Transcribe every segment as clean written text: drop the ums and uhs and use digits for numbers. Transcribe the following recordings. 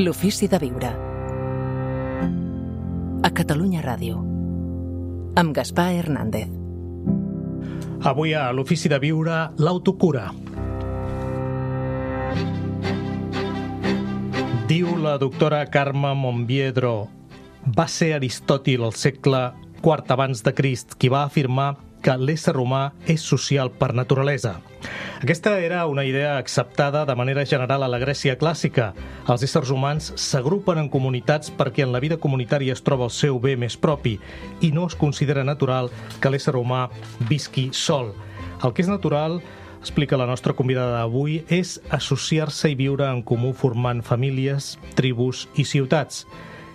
L'ofici de viure. A Catalunya Ràdio. Amb Gaspar Hernández. Avui a l'ofici de viure, l'autocura. Diu la doctora Carme Monbiedro: va ser Aristòtil al segle IV abans de Crist qui va afirmar que l'ésser humà és social per naturalesa. Aquesta era una idea acceptada de manera general a la Grècia clàssica. Els éssers humans s'agrupen en comunitats perquè en la vida comunitària es troba el seu bé més propi i no es considera natural que l'ésser humà visqui sol. El que és natural, explica la nostra convidada d'avui, és associar-se i viure en comú formant famílies, tribus i ciutats.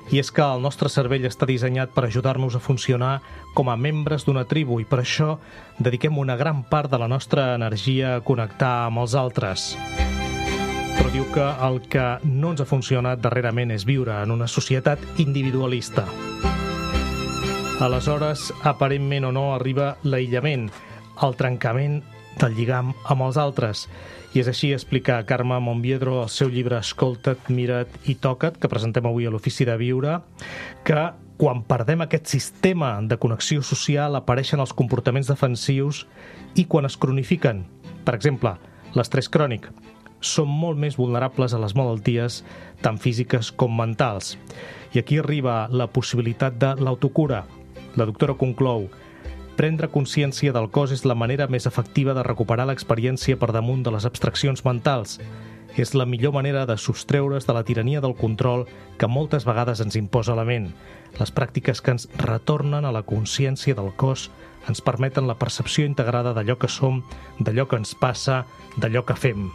I és que el nostre cervell està dissenyat per ajudar-nos a funcionar com a membres d'una tribu i per això dediquem una gran part de la nostra energia a connectar amb els altres. Però diu que el que no ens ha funcionat darrerament és viure en una societat individualista. Aleshores, aparentment o no, arriba l'aïllament, el trencament del lligam amb els altres. I és així, explica Carme Monbiedro al seu llibre Escolta't, mira't i toca't, que presentem avui a l'Ofici de Viure, que quan perdem aquest sistema de connexió social apareixen els comportaments defensius i quan es cronifiquen. Per exemple, l'estrès crònic. Som molt més vulnerables a les malalties, tant físiques com mentals. I aquí arriba la possibilitat de l'autocura. La doctora conclou: prendre consciència del cos és la manera més efectiva de recuperar l'experiència per damunt de les abstraccions mentals. És la millor manera de sostreure's de la tirania del control que moltes vegades ens imposa la ment. Les pràctiques que ens retornen a la consciència del cos ens permeten la percepció integrada d'allò que som, d'allò que ens passa, d'allò que fem.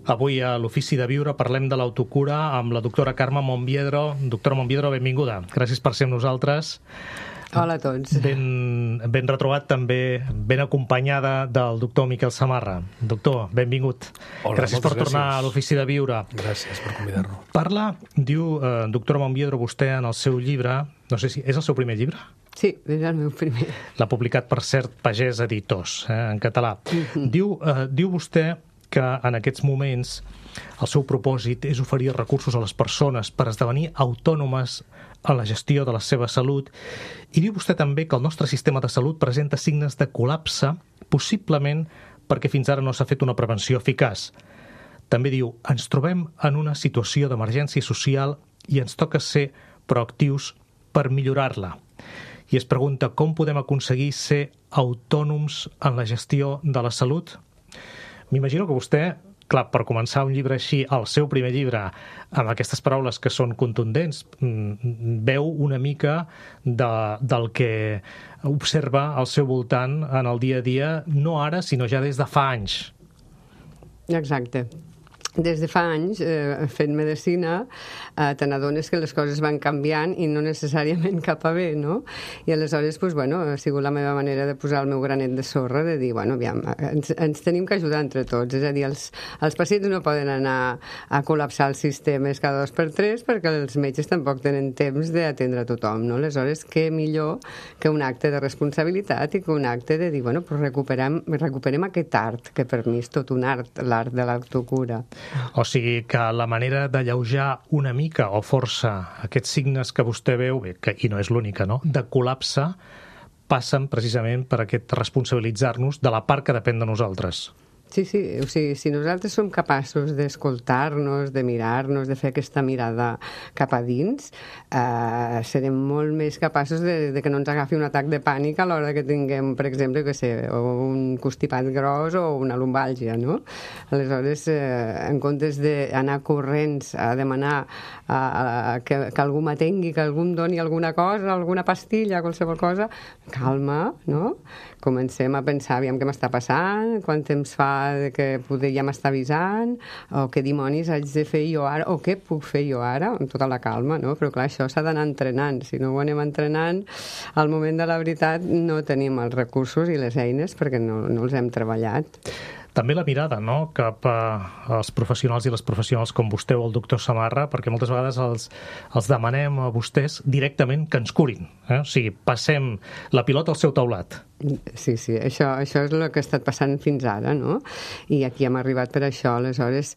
Avui a l'Ofici de Viure parlem de l'autocura amb la doctora Carme Monbiedro. Doctora Monbiedro, benvinguda. Gràcies per ser amb nosaltres. Hola a tots. Ben retrobat també, ben acompanyada del doctor Miquel Samarra. Doctor, benvingut. Hola, gràcies per tornar a l'Ofici de Viure. Gràcies per convidar-nos. Parla, diu doctora Monbiedro, vostè en el seu llibre, no sé si és el seu primer llibre? Sí, és el meu primer. L'ha publicat, per cert, Pagès Editors, en català. Diu vostè que en aquests moments el seu propòsit és oferir recursos a les persones per esdevenir autònomes en la gestió de la seva salut, i diu vostè també que el nostre sistema de salut presenta signes de col·lapse, possiblement perquè fins ara no s'ha fet una prevenció eficaç. També diu: ens trobem en una situació d'emergència social i ens toca ser proactius per millorar-la. I es pregunta com podem aconseguir ser autònoms en la gestió de la salut. M'imagino que vostè, clar, per començar un llibre així, el seu primer llibre, amb aquestes paraules que són contundents, veu una mica del que observa al seu voltant en el dia a dia, no ara, sinó ja des de fa anys. Exacte. Des de fa anys, fent medicina, te n'adones que les coses van canviant i no necessàriament cap a bé, no? I aleshores, ha sigut la meva manera de posar el meu granet de sorra, de dir, aviam, ens tenim que ajudar entre tots. És a dir, els pacients no poden anar a col·lapsar els sistemes cada 2 per 3 perquè els metges tampoc tenen temps d'atendre a tothom, no? Aleshores, què millor que un acte de responsabilitat i que un acte de dir, recuperem aquest art, que per mi és tot un art, l'art de l'autocura. O sigui que la manera d'alleujar una mica o força aquests signes que vostè veu, i no és l'única, no?, de col·lapse, passen precisament per aquest responsabilitzar-nos de la part que depèn de nosaltres. Sí, o sigui, si nosaltres som capaços d'escoltar-nos, de mirar-nos, de fer aquesta mirada cap a dins, serem molt més capaços de que no ens agafi un atac de pànic a l'hora que tinguem, per exemple, un constipat gros o una lumbàlgia, no? Aleshores, en comptes d'anar corrents a demanar que algú m'atengui, que algú em doni alguna cosa, alguna pastilla, qualsevol cosa, calma, no? Comencem a pensar, aviam què m'està passant, quant temps fa que ja m'està avisant, o què dimonis haig de fer jo ara, o què puc fer jo ara, amb tota la calma, no? Però clar, això s'ha d'anar entrenant. Si no ho anem entrenant, al moment de la veritat no tenim els recursos i les eines perquè no els hem treballat. també la mirada, no?, cap als professionals i les professionals com vostè o el doctor Samarra, perquè moltes vegades els demanem a vostès directament que ens curin. O sigui, passem la pilota al seu taulat. Sí, això és el que ha estat passant fins ara, no? I aquí hem arribat per això. Aleshores,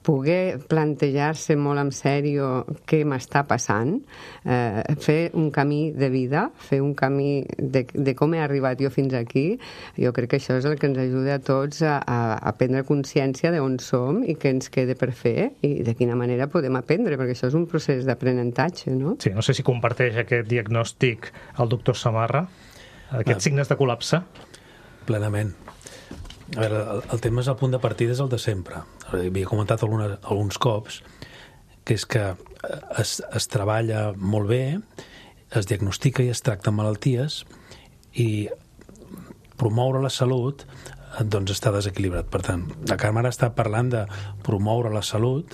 poder plantejar-se molt en sèrio què m'està passant, fer un camí de vida, fer un camí de com he arribat jo fins aquí, jo crec que això és el que ens ajuda a tots a prendre consciència d'on som i què ens queda per fer i de quina manera podem aprendre, perquè això és un procés d'aprenentatge, no? Sí, no sé si comparteix aquest diagnòstic el doctor Samarra, aquests signes de col·lapse. Plenament. A veure, el tema és el punt de partida, és el de sempre. Havia comentat alguns cops que és que es treballa molt bé, es diagnostica i es tracten malalties i promoure la salut doncs està desequilibrat. Per tant, la Carme ara està parlant de promoure la salut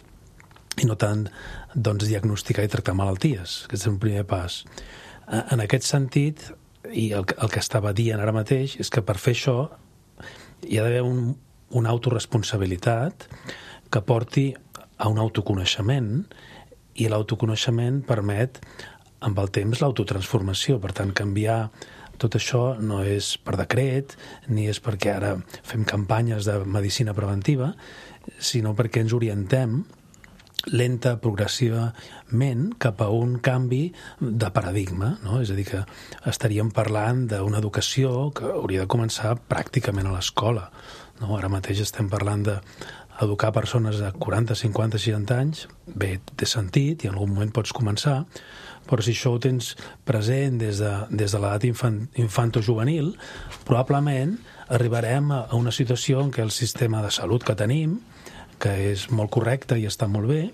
i no tant doncs, diagnosticar i tractar malalties. Aquest és un primer pas. En aquest sentit, i el que estava dient ara mateix és que per fer això hi ha d'haver una autoresponsabilitat que porti a un autoconeixement i l'autoconeixement permet amb el temps l'autotransformació. Per tant, canviar tot això no és per decret ni és perquè ara fem campanyes de medicina preventiva, sinó perquè ens orientem lenta, progressivament, cap a un canvi de paradigma, no? És a dir, que estaríem parlant d'una educació que hauria de començar pràcticament a l'escola, no? Ara mateix estem parlant d'educar persones de 40, 50, 60 anys, bé, té sentit, i en algun moment pots començar, però si això ho tens present des de l'edat infantojuvenil, probablement arribarem a una situació en què el sistema de salut que tenim, que és molt correcte i està molt bé,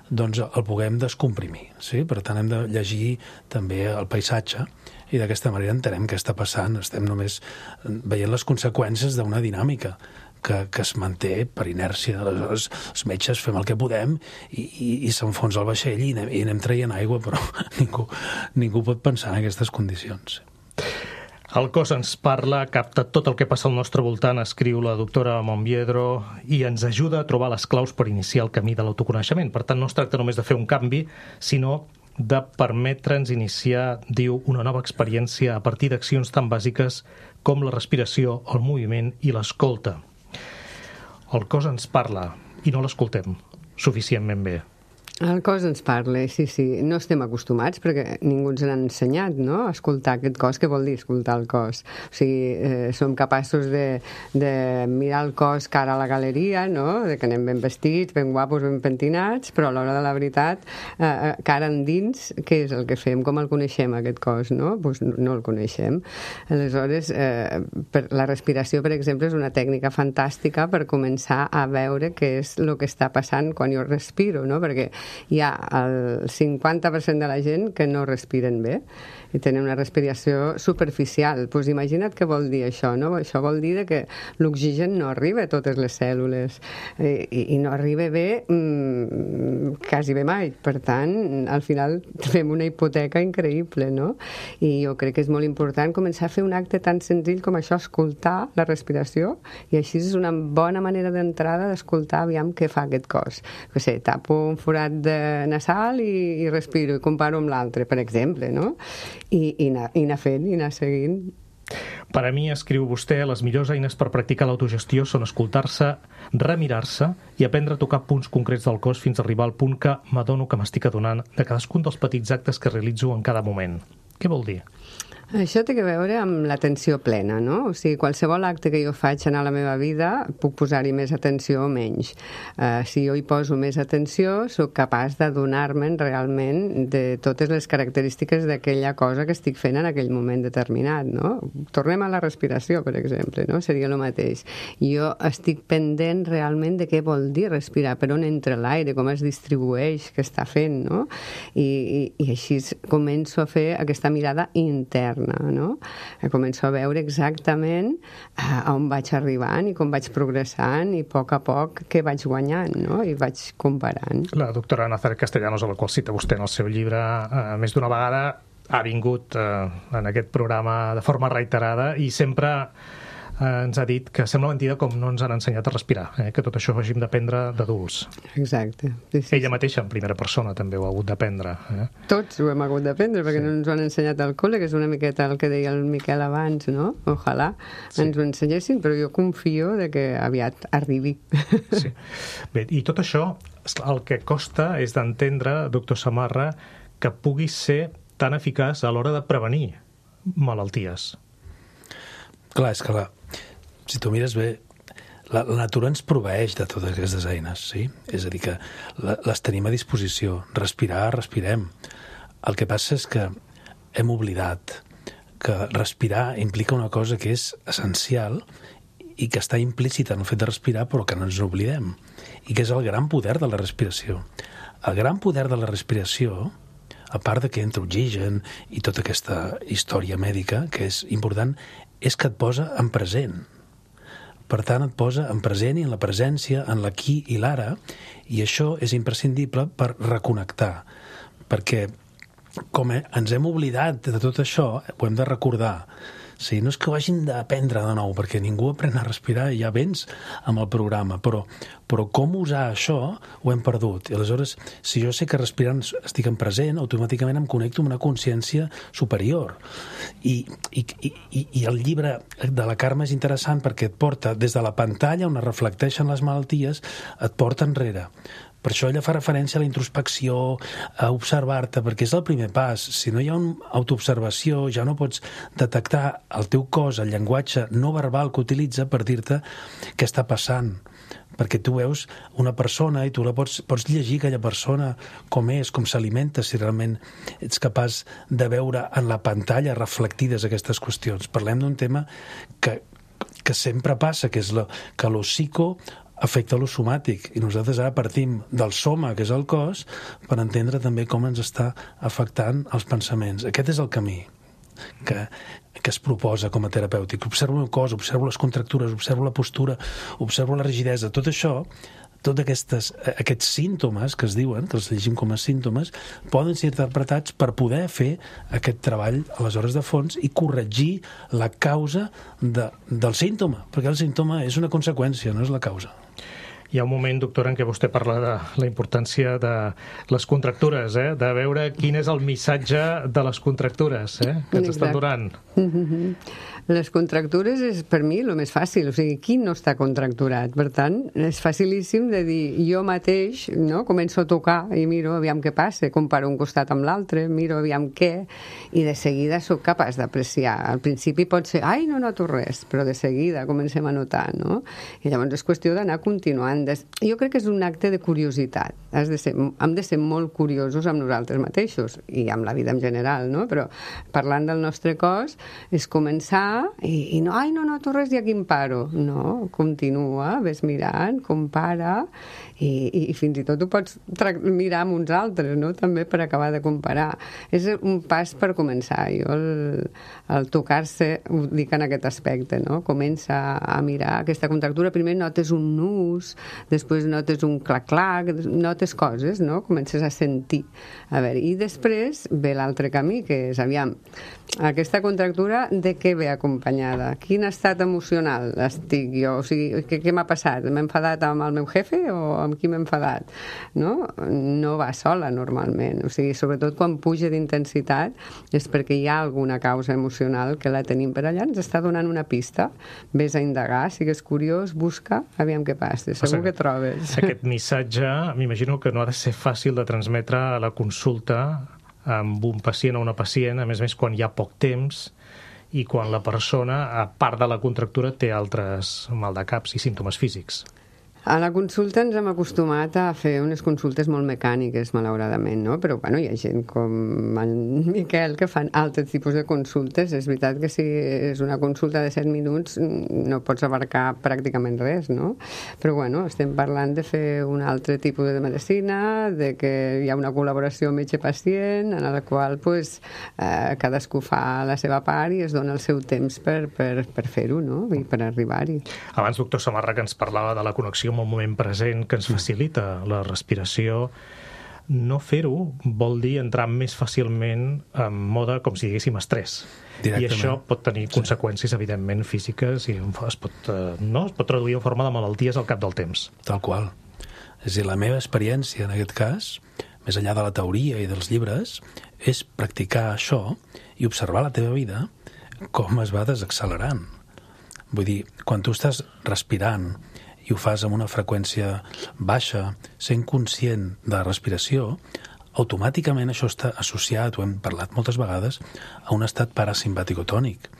doncs el puguem descomprimir. Sí? Per tant, hem de llegir també el paisatge i d'aquesta manera entenem què està passant. Estem només veient les conseqüències d'una dinàmica que es manté per inèrcia. Aleshores, els metges fem el que podem i s'enfonsa el vaixell i anem traient aigua, però ningú pot pensar en aquestes condicions. El cos ens parla, capta tot el que passa al nostre voltant, escriu la doctora Monbiedro, i ens ajuda a trobar les claus per iniciar el camí de l'autoconeixement. Per tant, no es tracta només de fer un canvi, sinó de permetre'ns iniciar, diu, una nova experiència a partir d'accions tan bàsiques com la respiració, el moviment i l'escolta. El cos ens parla i no l'escoltem suficientment bé. El cos ens parla, sí. No estem acostumats perquè ningú ens n'ha ensenyat, no?, a escoltar aquest cos. Què vol dir escoltar el cos? O sigui, som capaços de mirar el cos cara a la galeria, no?, de que anem ben vestits, ben guapos, ben pentinats, però a l'hora de la veritat, cara endins, què és el que fem? Com el coneixem, aquest cos, no? Pues no el coneixem. Aleshores, la respiració, per exemple, és una tècnica fantàstica per començar a veure què és el que està passant quan jo respiro, no?, perquè hi ha el 50% de la gent que no respiren bé i tenen una respiració superficial. Pues imagina't què vol dir això, no? Això vol dir que l'oxigen no arriba a totes les cèl·lules i no arriba bé quasi bé mai. Per tant, al final fem una hipoteca increïble, no? I jo crec que és molt important començar a fer un acte tan senzill com això, escoltar la respiració, i així és una bona manera d'entrada d'escoltar aviam què fa aquest cos. Que sé, tapo un forat nasal i respiro i comparo amb l'altre, per exemple, no? I anar fent, i anar seguint. Per a mi, escriu vostè, les millors eines per practicar l'autogestió són escoltar-se, remirar-se i aprendre a tocar punts concrets del cos fins a arribar al punt que m'adono que m'estic adonant de cadascun dels petits actes que realitzo en cada moment. Què vol dir? Això té a veure amb l'atenció plena, no? O sigui, qualsevol acte que jo faig en la meva vida puc posar-hi més atenció o menys. Si jo hi poso més atenció, sóc capaç d'adonar-me'n realment de totes les característiques d'aquella cosa que estic fent en aquell moment determinat, no? Tornem a la respiració, per exemple, no? Seria el mateix. Jo estic pendent realment de què vol dir respirar, per on entra l'aire, com es distribueix, què està fent, no? I així començo a fer aquesta mirada interna, no? Començo a veure exactament a on vaig arribant i com vaig progressant i a poc què vaig guanyant, no? I vaig comparant. La doctora Nazaret Castellanos, a la qual cita vostè en el seu llibre més d'una vegada, ha vingut en aquest programa de forma reiterada i sempre ens ha dit que sembla mentida com no ens han ensenyat a respirar, que tot això ho hàgim d'aprendre d'adults. Exacte. Sí, Ella mateixa, en primera persona, també ho ha hagut d'aprendre. Tots ho hem hagut d'aprendre, perquè no ens ho han ensenyat al col·le, que és una miqueta el que deia el Miquel abans, no? Ojalà ens ho ensenyessin, però jo confio de que aviat arribi. Sí. Bé, i tot això, el que costa és d'entendre, doctor Samarra, que pugui ser tan eficaç a l'hora de prevenir malalties. Clar, és que si tu mires bé, la natura ens proveeix de totes aquestes eines, sí? És a dir, que les tenim a disposició. Respirar, respirem. El que passa és que hem oblidat que respirar implica una cosa que és essencial i que està implícita en el fet de respirar, però que no ens oblidem, i que és el gran poder de la respiració. El gran poder de la respiració, a part de que entra oxigen i tota aquesta història mèdica, que és important, és que et posa en present. Per tant, et posa en present i en la presència, en l'aquí i l'ara, i això és imprescindible per reconnectar, perquè com ens hem oblidat de tot això, ho hem de recordar. Sí, no és que ho hagin d'aprendre de nou, perquè ningú aprèn a respirar i ja vens amb el programa, però com usar això ho hem perdut. I aleshores, si jo sé que respirant estic en present, automàticament em connecto amb una consciència superior. I el llibre de la Carme és interessant perquè et porta des de la pantalla on es reflecteixen les malalties, et porta enrere. Per això ella fa referència a la introspecció, a observar-te, perquè és el primer pas. Si no hi ha una autoobservació, ja no pots detectar el teu cos, el llenguatge no verbal que utilitza per dir-te què està passant. Perquè tu veus una persona i tu la pots llegir aquella persona com és, com s'alimenta, si realment ets capaç de veure en la pantalla reflectides aquestes qüestions. Parlem d'un tema que sempre passa, que és que lo psico afecta lo somàtic, i nosaltres ara partim del soma, que és el cos, per entendre també com ens està afectant els pensaments. Aquest és el camí que es proposa com a terapèutic. Observo el meu cos, observo les contractures, observo la postura, observo la rigidesa. Tot això, tots aquests símptomes que es diuen, que els llegim com a símptomes, poden ser interpretats per poder fer aquest treball aleshores de fons i corregir la causa del símptoma, perquè el símptoma és una conseqüència, no és la causa. Hi ha un moment, doctora, en què vostè parla de la importància de les contractures, de veure quin és el missatge de les contractures que ens estan donant. Les contractures és, per mi, el més fàcil. O sigui, qui no està contracturat? Per tant, és facilíssim de dir, jo mateix, no?, començo a tocar i miro aviam què passa, comparo un costat amb l'altre, miro aviam què, i de seguida sóc capaç d'apreciar. Al principi pot ser, ai, no noto res, però de seguida comencem a notar, no? I llavors és qüestió d'anar continuant. Jo crec que és un acte de curiositat. Hem de ser molt curiosos amb nosaltres mateixos i amb la vida en general, no? Però parlant del nostre cos és començar i no, ai, no noto res i aquí em paro. No, continua, ves mirant, compara i fins i tot ho pots mirar amb uns altres, no?, també per acabar de comparar. És un pas per començar. Jo el tocar-se ho dic en aquest aspecte, no? Comença a mirar aquesta contractura. Primer notes un nus, després notes un clac-clac, notes coses, no? Comences a sentir. A veure, i després ve l'altre camí, que és, aviam, aquesta contractura de què ve acompanyada? Quin estat emocional estic jo? O sigui, què m'ha passat? M'he enfadat amb el meu jefe o amb qui m'he enfadat? No? No va sola, normalment. O sigui, sobretot quan puja d'intensitat és perquè hi ha alguna causa emocional que la tenim per allà, ens està donant una pista. Ves a indagar, sigues curiós, busca, aviam què passa, segur que trobes. Aquest missatge, m'imagino que no ha de ser fàcil de transmetre a la consulta amb un pacient o una pacient, a més quan hi ha poc temps i quan la persona, a part de la contractura, té altres maldecaps i símptomes físics. A la consulta ens hem acostumat a fer unes consultes molt mecàniques, malauradament, no? Però, bueno, hi ha gent com en Miquel que fan altres tipus de consultes. És veritat que si és una consulta de 7 minuts no pots abarcar pràcticament res, no? Però, bueno, estem parlant de fer un altre tipus de medicina, de que hi ha una col·laboració metge-pacient en la qual, pues, cadascú fa la seva part i es dona el seu temps per fer-ho, no? I per arribar-hi. Abans, doctor Samarra, que ens parlava de la connexió amb el moment present que ens facilita la respiració. no fer-ho vol dir entrar més fàcilment en mode, com si diguéssim, estrès. I això pot tenir conseqüències, evidentment, físiques i es pot traduir en forma de malalties al cap del temps. Tal qual. És a dir, la meva experiència, en aquest cas, més enllà de la teoria i dels llibres, és practicar això i observar la teva vida com es va desaccelerant. Vull dir, quan tu estàs respirant i ho fas amb una freqüència baixa, sent conscient de la respiració, automàticament això està associat, ho hem parlat moltes vegades, a un estat parasimpaticotònic.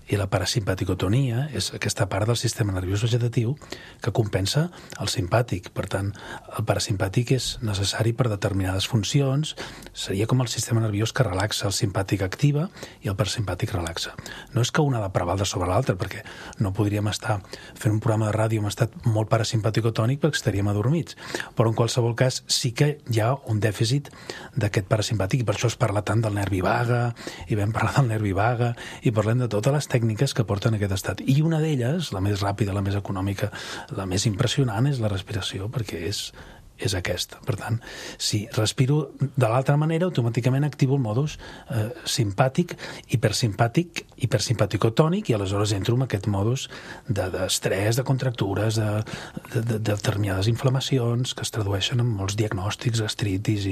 I la parasimpaticotonia és aquesta part del sistema nerviós vegetatiu que compensa el simpàtic. Per tant, el parasimpàtic és necessari per determinades funcions, seria com el sistema nerviós que relaxa, el simpàtic activa i el parasimpàtic relaxa. No és que un ha de prevaldre sobre l'altre, perquè no podríem estar fent un programa de ràdio amb estat molt parasimpaticotònic perquè estaríem adormits. Però en qualsevol cas sí que hi ha un dèficit d'aquest parasimpàtic i per això es parla tant del nervi vaga i vam parlar del nervi vaga i parlem de totes les tècniques que porten a aquest estat. I una d'elles, la més ràpida, la més econòmica, la més impressionant, és la respiració, perquè és aquesta. Per tant, si respiro de l'altra manera, automàticament activo el modus simpàtic, hipersimpaticotònic, i aleshores entro en aquest modus d'estrès, de contractures, de determinades inflamacions que es tradueixen en molts diagnòstics, gastritis,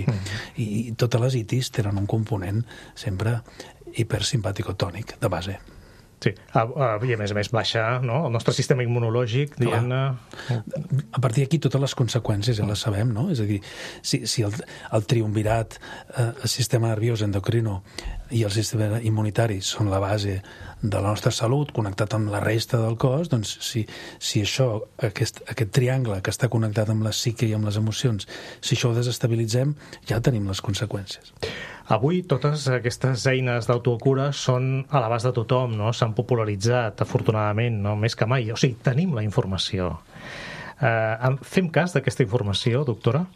i totes les itis tenen un component sempre hipersimpaticotònic de base. Sí, i a més baixa, no?, el nostre sistema immunològic, diguem-ne... A partir d'aquí totes les conseqüències ja les sabem, no? És a dir, si el triumvirat, el sistema nerviós endocrino i el sistema immunitari són la base de la nostra salut, connectat amb la resta del cos, doncs si això, aquest triangle que està connectat amb la psique i amb les emocions, si això ho desestabilitzem, ja tenim les conseqüències. Avui totes aquestes eines d'autocura són a l'abast de tothom, no? S'han popularitzat, afortunadament, no? Més que mai. O sigui, tenim la informació. Fem cas d'aquesta informació, doctora?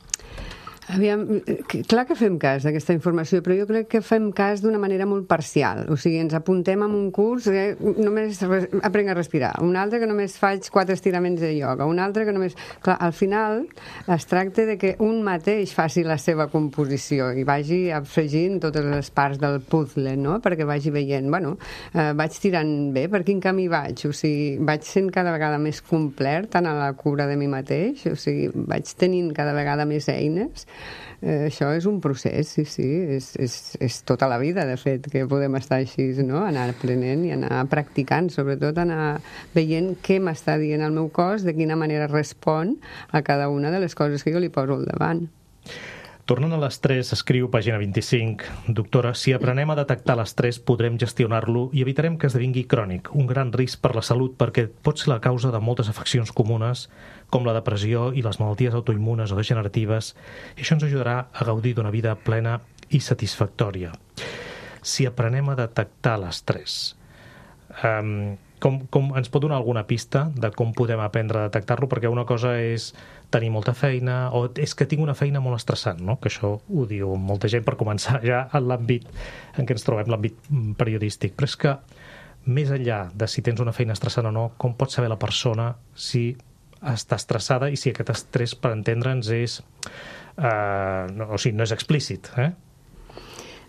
Aviam, clar que fem cas d'aquesta informació, però jo crec que fem cas d'una manera molt parcial. O sigui, ens apuntem a un curs que només aprenc a respirar, un altre que només faig 4 estiraments de ioga, un altre que només... Clar, al final es tracta de que un mateix faci la seva composició i vagi afegint totes les parts del puzzle, no?, perquè vagi veient, bueno, vaig tirant bé, per quin camí vaig? O sigui, vaig sent cada vegada més complet en la cura de mi mateix, o sigui, vaig tenint cada vegada més eines. Això és un procés, sí, és tota la vida, de fet, que podem estar així, no?, anar aprenent i anar practicant, sobretot anar veient què m'està dient el meu cos, de quina manera respon a cada una de les coses que jo li poso al davant. Tornant a l'estrès, escriu pàgina 25, doctora, si aprenem a detectar l'estrès podrem gestionar-lo i evitarem que esdevingui crònic, un gran risc per la salut perquè pot ser la causa de moltes afeccions comunes com la depressió i les malalties autoimmunes o degeneratives, i això ens ajudarà a gaudir d'una vida plena i satisfactòria. Si aprenem a detectar l'estrès, com ens pot donar alguna pista de com podem aprendre a detectar-lo? Perquè una cosa és tenir molta feina o és que tinc una feina molt estressant, no? Que això ho diu molta gent per començar ja en l'àmbit en què ens trobem, l'àmbit periodístic. Però és que més enllà de si tens una feina estressant o no, com pot saber la persona si està estressada i si aquest estrès, per entendre'ns, és no és explícit,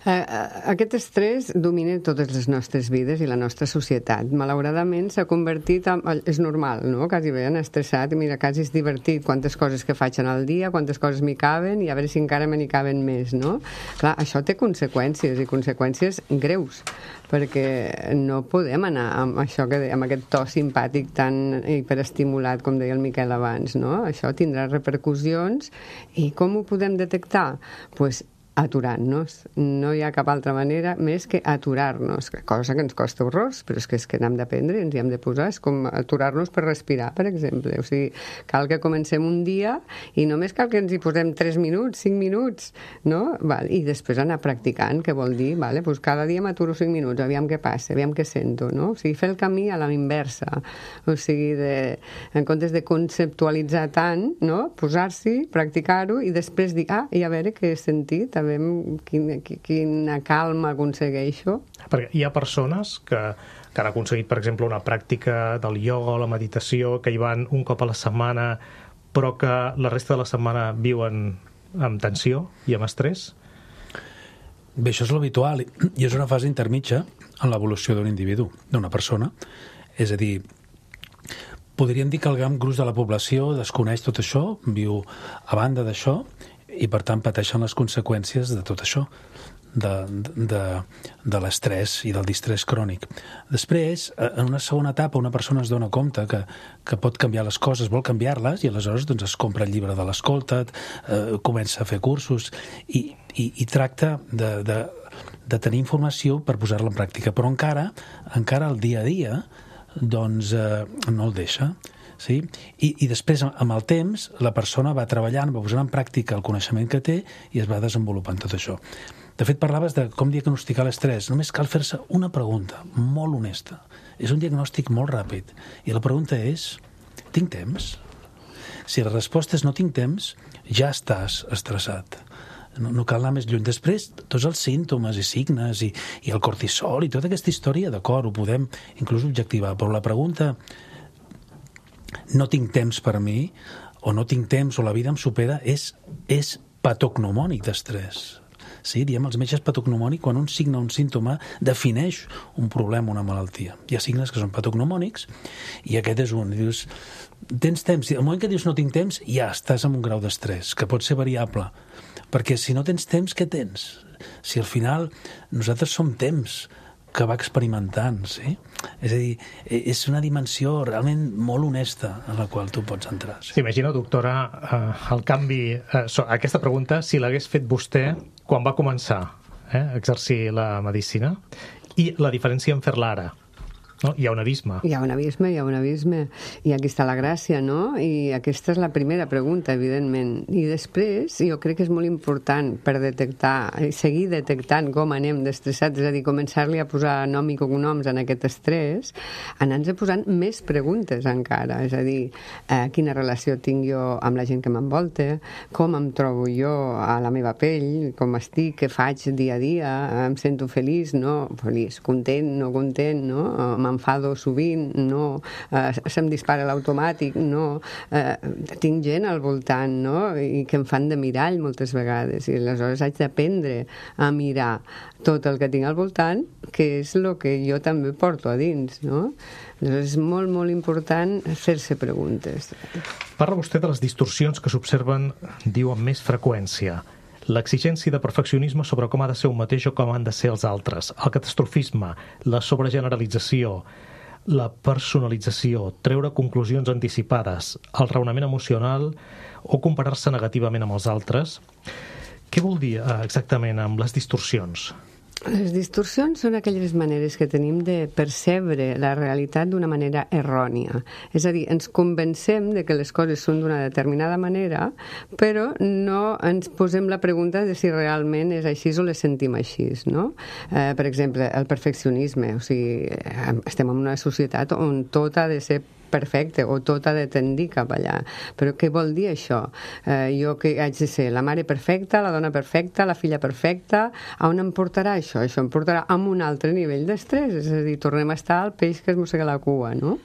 Aquest estrès domina totes les nostres vides i la nostra societat. Malauradament s'ha convertit en... És normal, no?, quasi bé en estressat, i mira, quasi és divertit quantes coses que faig en el dia, quantes coses m'hi caben, i a veure si encara me n'hi caben més, no? Clar, això té conseqüències, i conseqüències greus, perquè no podem anar amb això que amb aquest to simpàtic tan hiperestimulat, com deia el Miquel abans, no? Això tindrà repercussions, i com ho podem detectar? Doncs aturant-nos. No hi ha cap altra manera més que aturar-nos, cosa que ens costa horrors, però és que n'hem d'aprendre, ens hi hem de posar, és com aturar-nos per respirar, per exemple. O sigui, cal que comencem un dia i només cal que ens hi posem 3 minuts, 5 minuts, no? I després anar practicant, que vol dir, doncs cada dia m'aturo 5 minuts, aviam què passa, aviam què sento, no? O sigui, fer el camí a la inversa. O sigui, en comptes de conceptualitzar tant, no?, posar-s'hi, practicar-ho i després dir, i a veure què he sentit, a veure quina calma aconsegueixo. Perquè hi ha persones que han aconseguit, per exemple, una pràctica del ioga o la meditació, que hi van un cop a la setmana, però que la resta de la setmana viuen amb tensió i amb estrès? Bé, això és l'habitual i és una fase intermitja en l'evolució d'un individu, d'una persona. És a dir, podríem dir que el gran gruix de la població desconeix tot això, viu a banda d'això i, per tant, pateixen les conseqüències de tot això, de l'estrès i del distrés crònic. Després, en una segona etapa, una persona es dona compte que pot canviar les coses, vol canviar-les, i aleshores doncs, es compra el llibre de l'escolta't, comença a fer cursos i tracta de tenir informació per posar-la en pràctica. Però encara el dia a dia doncs, no el deixa. Sí? I després, amb el temps, la persona va treballant, va posant en pràctica el coneixement que té i es va desenvolupant tot això. De fet, parlaves de com diagnosticar l'estrès. Només cal fer-se una pregunta molt honesta. És un diagnòstic molt ràpid. I la pregunta és, tinc temps? Si la resposta és no tinc temps, ja estàs estressat. No cal anar més lluny. Després, tots els símptomes i signes i el cortisol i tota aquesta història, d'acord, ho podem inclús objectivar, però la pregunta no tinc temps per a mi, o no tinc temps, o la vida em supera, és patognomònic d'estrès. Sí, diem els metges patognomònic quan un signe o un símptoma defineix un problema, una malaltia. Hi ha signes que són patognomònics i aquest és un. Dius, tens temps? Al moment que dius no tinc temps, ja estàs en un grau d'estrès, que pot ser variable. Perquè si no tens temps, què tens? Si al final nosaltres som temps que va experimentant, sí? És a dir, és una dimensió realment molt honesta en la qual tu pots entrar. Sí? S'imagina, doctora, el canvi... aquesta pregunta, si l'hagués fet vostè quan va començar a exercir la medicina, i la diferència en fer-la ara. No? Hi ha un abisme. Hi ha un abisme. I aquí està la gràcia, no? I aquesta és la primera pregunta, evidentment. I després, jo crec que és molt important per detectar, seguir detectant com anem d'estressats, és a dir, començar-li a posar nom i cognoms en aquest estrès, anar-nos posant més preguntes encara. És a dir, quina relació tinc jo amb la gent que m'envolta, com em trobo jo a la meva pell, com estic, què faig dia a dia, em sento feliç, no? Feliç, content, no content, no? M'enfado sovint, no, se'm dispara l'automàtic, no, tinc gent al voltant, no, i que em fan de mirall moltes vegades, i aleshores haig d'aprendre a mirar tot el que tinc al voltant, que és el que jo també porto a dins, no? Aleshores és molt, molt important fer-se preguntes. Parla vostè de les distorsions que s'observen, diu, amb més freqüència. L'exigència de perfeccionisme sobre com ha de ser un mateix o com han de ser els altres, el catastrofisme, la sobregeneralització, la personalització, treure conclusions anticipades, el raonament emocional o comparar-se negativament amb els altres. Què vol dir exactament amb les distorsions? Les distorsions són aquelles maneres que tenim de percebre la realitat d'una manera errònia. És a dir, ens convencem de que les coses són d'una determinada manera, però no ens posem la pregunta de si realment és així o les sentim així, no? Per exemple, el perfeccionisme. O sigui, estem en una societat on tot ha de ser perfecte, o tot ha de tendir cap allà. Però què vol dir això? Jo que haig de ser la mare perfecta, la dona perfecta, la filla perfecta, a on em portarà això? Això em portarà a un altre nivell d'estrès, és a dir, tornem a estar al peix que es mossega la cua, no?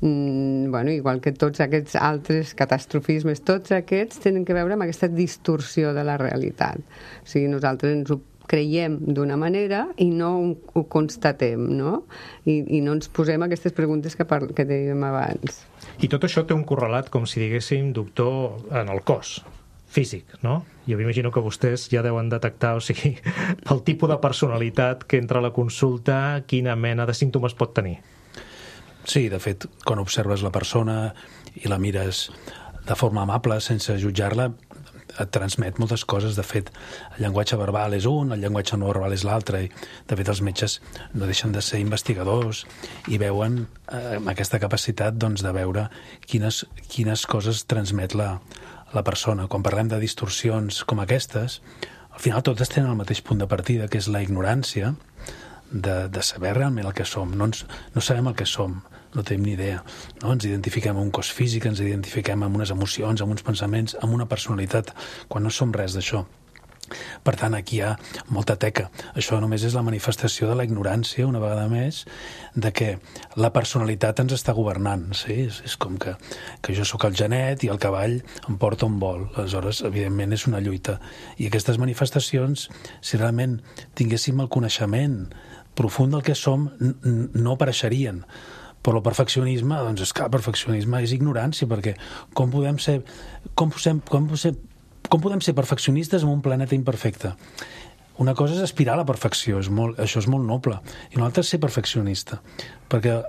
Bueno, igual que tots aquests altres catastrofismes, tots aquests tenen que veure amb aquesta distorsió de la realitat. O sigui, nosaltres ens ho creiem d'una manera i no ho constatem, no? I no ens posem aquestes preguntes que dèiem abans. I tot això té un correlat, com si diguéssim, doctor, en el cos físic, no? Jo m'imagino que vostès ja deuen detectar, o sigui, el tipus de personalitat que entra a la consulta, quina mena de símptomes pot tenir. Sí, de fet, quan observes la persona i la mires de forma amable, sense jutjar-la, et transmet moltes coses. De fet, el llenguatge verbal és un, el llenguatge no verbal és l'altre, i de fet els metges no deixen de ser investigadors i veuen aquesta capacitat, doncs, de veure quines coses transmet la persona. Quan parlem de distorsions com aquestes, al final totes tenen el mateix punt de partida, que és la ignorància de saber realment el que som. No sabem el que som, no tenim ni idea. No? Ens identifiquem amb un cos físic, ens identifiquem amb unes emocions, amb uns pensaments, amb una personalitat, quan no som res d'això. Per tant, aquí hi ha molta teca. Això només és la manifestació de la ignorància, una vegada més, de que la personalitat ens està governant. Sí? És com que jo sóc el genet i el cavall em porta on vol. Aleshores, evidentment, és una lluita. I aquestes manifestacions, si realment tinguéssim el coneixement profund del que som, no apareixerien. Però el perfeccionisme, doncs és que el perfeccionisme és ignorància, perquè com podem ser perfeccionistes en un planeta imperfecte? Una cosa és aspirar a la perfecció, això és molt noble, i una altra és ser perfeccionista, perquè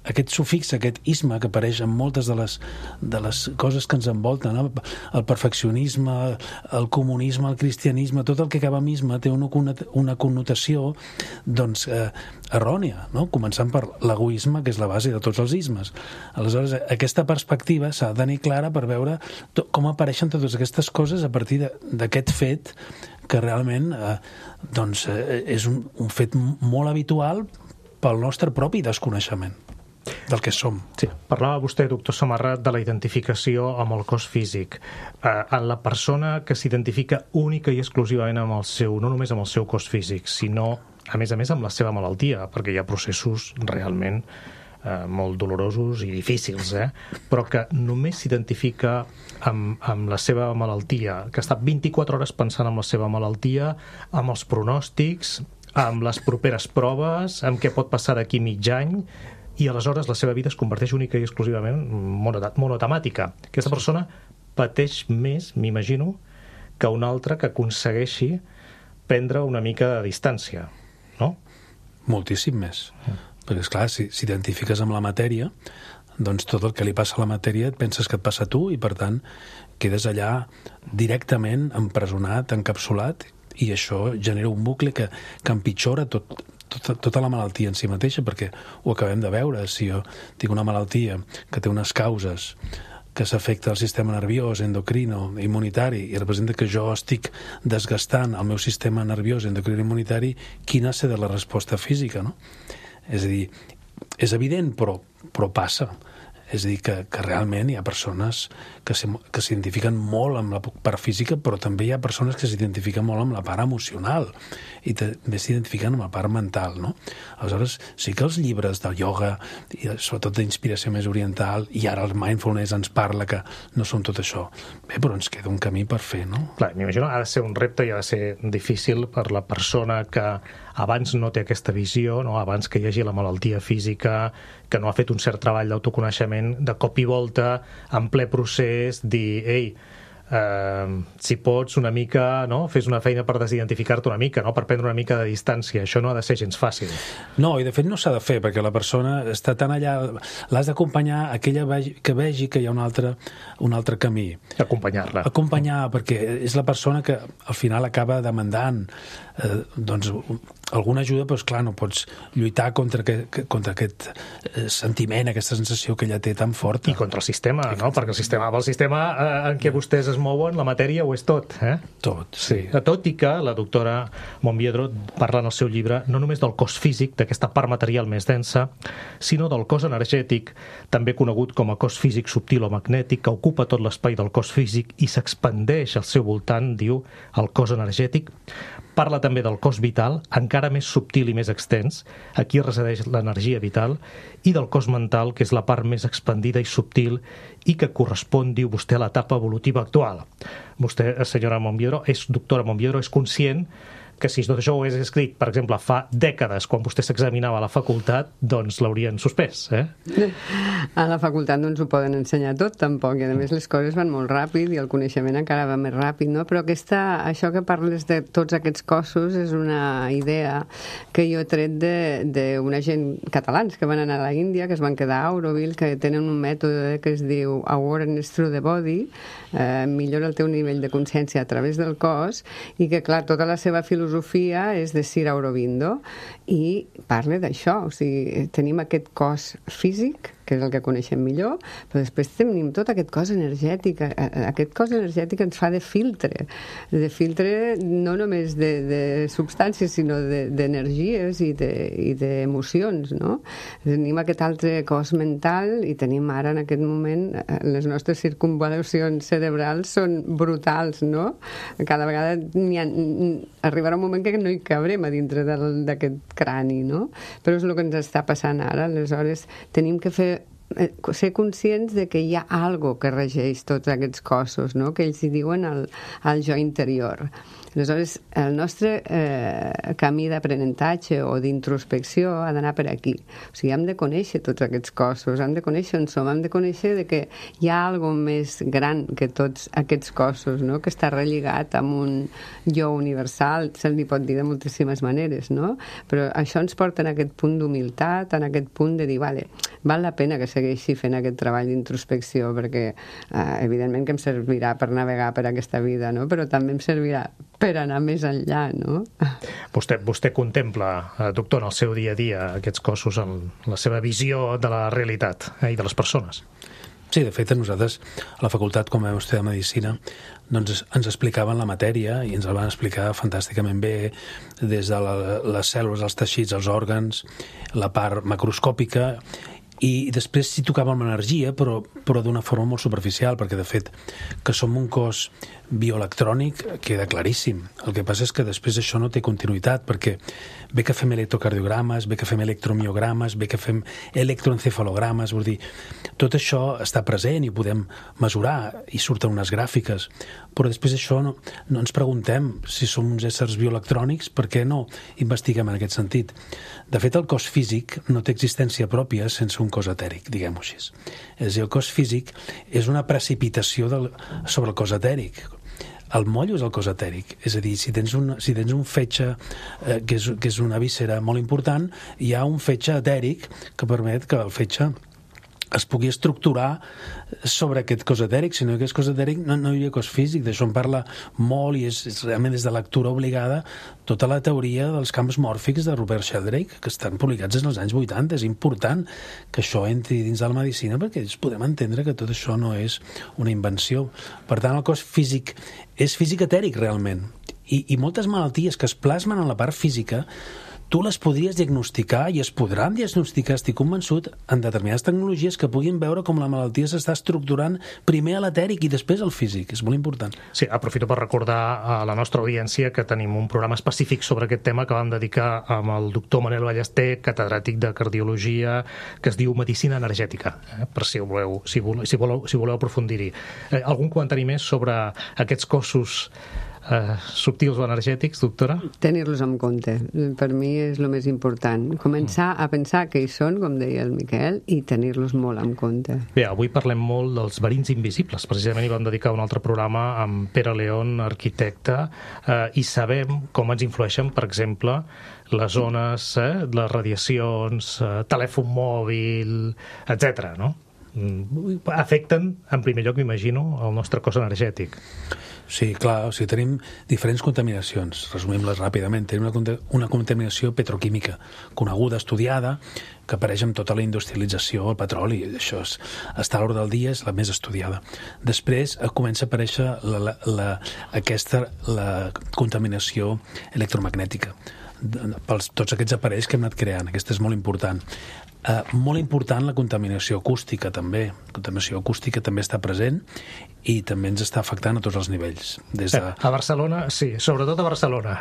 aquest sufix, aquest isme que apareix en moltes de les coses que ens envolten, el perfeccionisme, el comunisme, el cristianisme, tot el que acaba amb isme té una connotació doncs, errònia, no? Començant per l'egoisme, que és la base de tots els ismes. Aleshores, aquesta perspectiva s'ha de tenir clara per veure com apareixen totes aquestes coses a partir d'aquest fet que realment doncs, és un fet molt habitual pel nostre propi desconeixement del que som. Sí, parlava vostè, doctor Samarra, de la identificació amb el cos físic. En la persona que s'identifica única i exclusivament amb no només amb el seu cos físic, sinó, a més, amb la seva malaltia, perquè hi ha processos realment molt dolorosos i difícils, però que només s'identifica amb la seva malaltia, que està 24 hores pensant en la seva malaltia, amb els pronòstics, amb les properes proves, amb què pot passar d'aquí mig any, i aleshores la seva vida es converteix única i exclusivament monotemàtica. Aquesta persona pateix més, m'imagino, que una altra que aconsegueixi prendre una mica de distància, no? Moltíssim més. Perquè, esclar, si t'identifiques amb la matèria, doncs tot el que li passa a la matèria et penses que et passa a tu i, per tant, quedes allà directament empresonat, encapsulat, i això genera un bucle que empitjora tota la malaltia en si mateixa, perquè ho acabem de veure. Si jo tinc una malaltia que té unes causes que s'afecta el sistema nerviós, endocrino, immunitari, i representa que jo estic desgastant el meu sistema nerviós, endocrino, immunitari, quina ha de la resposta física, no? És a dir, és evident, però passa. És a dir, que realment hi ha persones que s'identifiquen molt amb la part física, però també hi ha persones que s'identifiquen molt amb la part emocional i també s'identifiquen amb la part mental, no? Aleshores, sí que els llibres del ioga, i sobretot d'inspiració més oriental, i ara el mindfulness ens parla que no som tot això. Bé, però ens queda un camí per fer, no? Clar, m'imagino, ha de ser un repte i ha de ser difícil per la persona que abans no té aquesta visió, no? Abans que hi hagi la malaltia física, que no ha fet un cert treball d'autoconeixement, de cop i volta, en ple procés, dir, ei, si pots una mica, no? Fes una feina per desidentificar-te una mica, no? Per prendre una mica de distància. Això no ha de ser gens fàcil. No, i de fet no s'ha de fer, perquè la persona està tan allà, l'has d'acompanyar aquella que vegi que hi ha un altre camí. Acompanyar-la. Acompanyar, perquè és la persona que al final acaba demandant doncs alguna ajuda, però clar, no pots lluitar contra aquest sentiment, aquesta sensació que ella té tan forta. I contra el sistema, no? Perquè el sistema en què vostès es mouen, la matèria ho és tot, Tot, sí. Tot i que la doctora Monbiedro parla en el seu llibre no només del cos físic, d'aquesta part material més densa, sinó del cos energètic, també conegut com a cos físic subtil o magnètic, que ocupa tot l'espai del cos físic i s'expandeix al seu voltant, diu, el cos energètic. Parla també del cos vital, encara més subtil i més extens, aquí resideix l'energia vital, i del cos mental, que és la part més expandida i subtil i que correspon, diu vostè, a l'etapa evolutiva actual. Vostè, senyora Monbiedro, doctora Monbiedro, és conscient que si tot això ho hagués escrit, per exemple, fa dècades, quan vostè s'examinava a la facultat, doncs l'haurien suspès, A la facultat no ens ho poden ensenyar tot, tampoc, i a més les coses van molt ràpid i el coneixement encara va més ràpid, no? Però això que parles de tots aquests cossos és una idea que jo he tret d'una gent catalans que van anar a la Índia, que es van quedar a Auroville, que tenen un mètode que es diu Awareness Through the Body, millora el teu nivell de consciència a través del cos, i que, clar, tota la seva filosofia és de Sri Aurobindo i parla d'això, o sigui, tenim aquest cos físic que és el que coneixem millor, però després tenim tot aquest cos energètic. Aquest cos energètic ens fa de filtre no només de substàncies, sinó d'energies i d'emocions, no? Tenim aquest altre cos mental i tenim ara en aquest moment les nostres circunvalacions cerebrals són brutals, no? Cada vegada arribarà un moment que no hi cabrem a dintre d'aquest crani, no? Però és el que ens està passant ara. Aleshores tenim que ser conscients de que hi ha algo que regeix tots aquests cossos, no? Que ells hi diuen el jo interior. Aleshores, el nostre camí d'aprenentatge o d'introspecció ha d'anar per aquí. O sigui, hem de conèixer tots aquests cossos, hem de conèixer on som, hem de conèixer que hi ha alguna més gran que tots aquests cossos, no? Que està relligat amb un jo universal, se'l pot dir de moltíssimes maneres, no? Però això ens porta en aquest punt d'humilitat, en aquest punt de dir, vale, val la pena que segueixi fent aquest treball d'introspecció, perquè evidentment que em servirà per navegar per aquesta vida, no? Però també em servirà per anar més enllà, no? Vostè contempla, doctor, en el seu dia a dia aquests cossos en la seva visió de la realitat i de les persones? Sí, de fet, nosaltres a la facultat, com vam estudiar Medicina, doncs ens explicaven la matèria i ens la van explicar fantàsticament bé, des de les cèl·lules, els teixits, els òrgans, la part macroscòpica, i després s'hi tocava amb l'energia, però d'una forma molt superficial, perquè de fet que som un cos bioelectrònic queda claríssim. El que passa és que després això no té continuïtat, perquè bé que fem electrocardiogrames, bé que fem electromiogrames, bé que fem electroencefalogrames, vull dir, tot això està present i ho podem mesurar i surten unes gràfiques, però després això no ens preguntem si som uns éssers bioelectrònics, per què no investiguem en aquest sentit? De fet, el cos físic no té existència pròpia sense un cos etèric, diguem-ho així. És a dir, el cos físic és una precipitació sobre el cos etèric. El mollo és el cos etèric, és a dir, si tens un fetge que és una víscera molt important, hi ha un fetge etèric que permet que el fetge es pugui estructurar sobre aquest cos etèric. Si no hi hagués cos etèric no hi hauria cos físic. D'això en parla molt i és realment des de lectura obligada tota la teoria dels camps mòrfics de Rupert Sheldrake, que estan publicats en els anys 80. És important que això entri dins de la medicina perquè podem entendre que tot això no és una invenció. Per tant, el cos físic és físic etèric realment. I moltes malalties que es plasmen en la part física tu les podries diagnosticar i es podran diagnosticar, estic convençut, en determinades tecnologies que puguin veure com la malaltia s'està estructurant primer a l'etèric i després al físic. És molt important. Sí, aprofito per recordar a la nostra audiència que tenim un programa específic sobre aquest tema que vam dedicar amb el doctor Manel Ballester, catedràtic de cardiologia, que es diu Medicina Energètica, per si voleu aprofundir-hi. Algun comentari més sobre aquests cossos subtils o energètics, doctora? Tenir-los en compte. Per mi és el més important. Començar a pensar que hi són, com deia el Miquel, i tenir-los molt en compte. Bé, avui parlem molt dels verins invisibles. Precisament hi vam dedicar un altre programa amb Pere León, arquitecte, i sabem com ens influeixen, per exemple, les ones, les radiacions, telèfon mòbil, etc., no? Afecten, en primer lloc, m'imagino, el nostre cos energètic. Sí, clar, o sigui, tenim diferents contaminacions, resumim-les ràpidament. Tenim una contaminació petroquímica coneguda, estudiada, que apareix amb tota la industrialització, el petroli, això està a l'ordre del dia, és la més estudiada. Després comença a aparèixer la contaminació electromagnètica, pels tots aquests aparells que hem anat creant. Aquesta és molt important. Molt important la contaminació acústica també. La contaminació acústica també està present i també ens està afectant a tots els nivells. A Barcelona, sí, sobretot a Barcelona.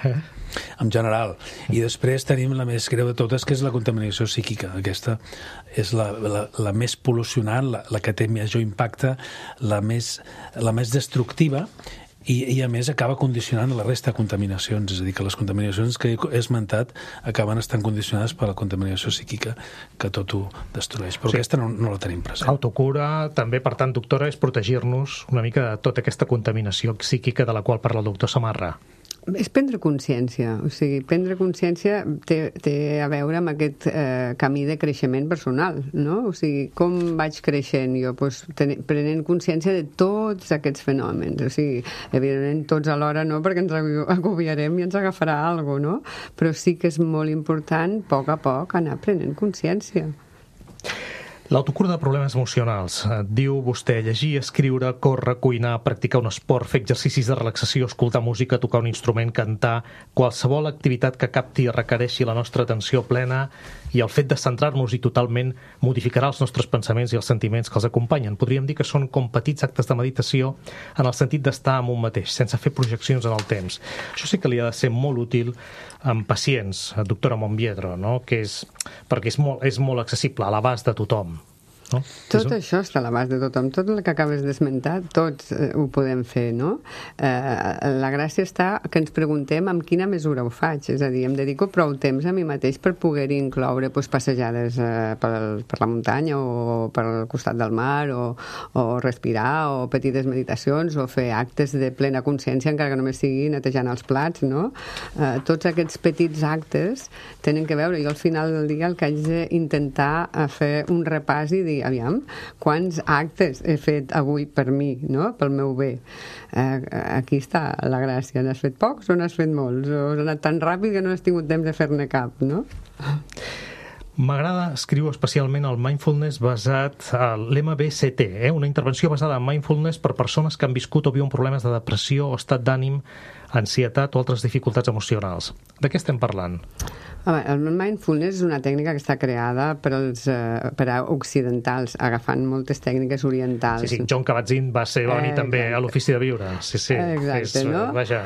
En general. I després tenim la més greu de totes, que és la contaminació psíquica. Aquesta és la més pol·lucionant, la que té major impacte, la més destructiva, i a més acaba condicionant la resta de contaminacions, és a dir, que les contaminacions que he esmentat acaben estant condicionades per la contaminació psíquica, que tot ho destrueix, però sí, aquesta no la tenim present. Autocura, també, per tant, doctora, és protegir-nos una mica de tota aquesta contaminació psíquica de la qual parla el doctor Samarra. És prendre consciència, o sigui, prendre consciència té a veure amb aquest camí de creixement personal, no? O sigui, com vaig creixent jo? Pues, prenent consciència de tots aquests fenòmens, o sigui, evidentment tots alhora no, perquè ens agobiarem i ens agafarà alguna cosa, no? Però sí que és molt important, a poc, anar prenent consciència. L'autocura de problemes emocionals. Diu vostè llegir, escriure, córrer, cuinar, practicar un esport, fer exercicis de relaxació, escoltar música, tocar un instrument, cantar, qualsevol activitat que capti i requereixi la nostra atenció plena, i el fet de centrar-nos-hi totalment modificarà els nostres pensaments i els sentiments que els acompanyen. Podríem dir que són com petits actes de meditació en el sentit d'estar amb un mateix, sense fer projeccions en el temps. Això sí que li ha de ser molt útil amb pacients, doctora Monbiedro, no? Perquè és molt accessible, a l'abast de tothom. No? Tot això està a l'abast de tothom, tot el que acabes d'esmentar, tots ho podem fer, no? La gràcia està que ens preguntem amb quina mesura ho faig, és a dir, em dedico prou temps a mi mateix per poder incloure passejades per la muntanya o pel costat del mar o respirar o petites meditacions o fer actes de plena consciència encara que només sigui netejant els plats, no? Tots aquests petits actes tenen que veure, jo al final del dia el que haig d'intentar fer un repàs i dir, aviam, quants actes he fet avui per mi, no? Pel meu bé. Aquí està la gràcia. N'has fet pocs o n'has fet molts? O has anat tan ràpid que no has tingut temps de fer-ne cap, no? M'agrada, escriu especialment el mindfulness basat a l'MBST, una intervenció basada en mindfulness per persones que han viscut o viuen problemes de depressió o estat d'ànim, ansietat o altres dificultats emocionals. De què estem parlant? El mindfulness és una tècnica que està creada per a occidentals, agafant moltes tècniques orientals. Sí, John Kabat-Zinn va ser venir també a l'Ofici de Viure. Sí. Exacte, no? Vaja,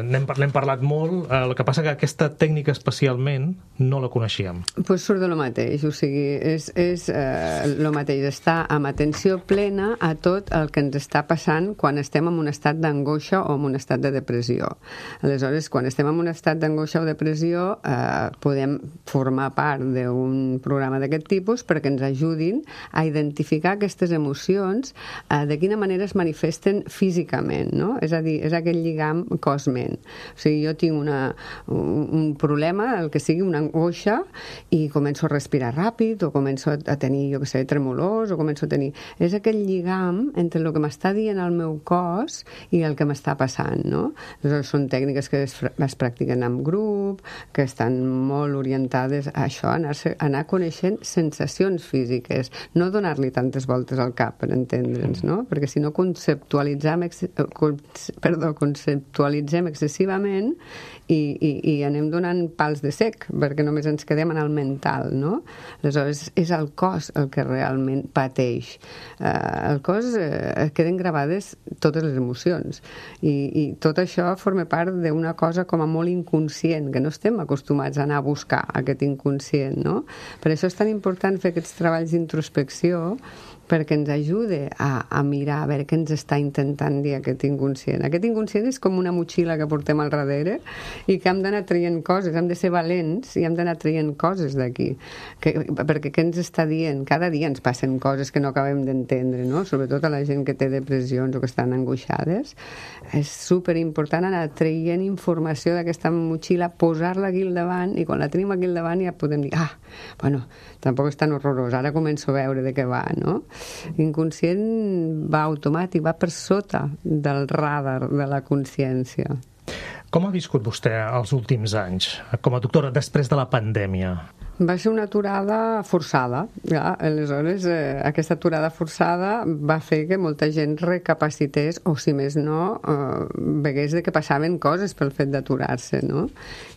n'hem parlat molt, el que passa que aquesta tècnica especialment no la coneixíem. Pues surt de lo mateix, o sigui, és lo mateix, estar amb atenció plena a tot el que ens està passant quan estem en un estat d'angoixa o en un estat de depressió. Aleshores, quan estem en un estat d'angoixa o depressió, podem formar part d'un programa d'aquest tipus perquè ens ajudin a identificar aquestes emocions, de quina manera es manifesten físicament, no? És a dir, és aquell lligam cos-ment. O sigui, jo tinc un problema, el que sigui una angoixa, i començo a respirar ràpid, o començo a tenir, jo què sé, tremolors, o començo a tenir... És aquell lligam entre el que m'està dient el meu cos i el que m'està passant, no? Aleshores, són tècniques que es practiquen en grup, que estan molt orientades a això, anar coneixent sensacions físiques, no donar-li tantes voltes al cap per entendre'ns, no? Perquè si no conceptualitzem excessivament i anem donant pals de sec, perquè només ens quedem en el mental, no? Aleshores, és el cos el que realment pateix. El cos queden gravades totes les emocions i tot això forma part d'una cosa com a molt inconscient, que no estem acostumats a anar a buscar aquest inconscient, no? Per això és tan important fer aquests treballs d'introspecció, perquè ens ajude a mirar a veure què ens està intentant dir aquest inconscient. Aquest inconscient és com una motxilla que portem al darrere i que hem d'anar traient coses, hem de ser valents i hem d'anar traient coses d'aquí. Perquè què ens està dient? Cada dia ens passen coses que no acabem d'entendre, no? Sobretot a la gent que té depressions o que estan angoixades. És superimportant anar traient informació d'aquesta motxilla, posar-la aquí al davant, i quan la tenim aquí al davant ja podem dir, bueno, tampoc és tan horrorós, ara començo a veure de què va, no? L'inconscient va automàtic, va per sota del radar de la consciència. Com ha viscut vostè els últims anys, com a doctora, després de la pandèmia? Va ser una aturada forçada. Aleshores, aquesta aturada forçada va fer que molta gent recapacités, o si més no, vegués de que passaven coses pel fet d'aturar-se, no?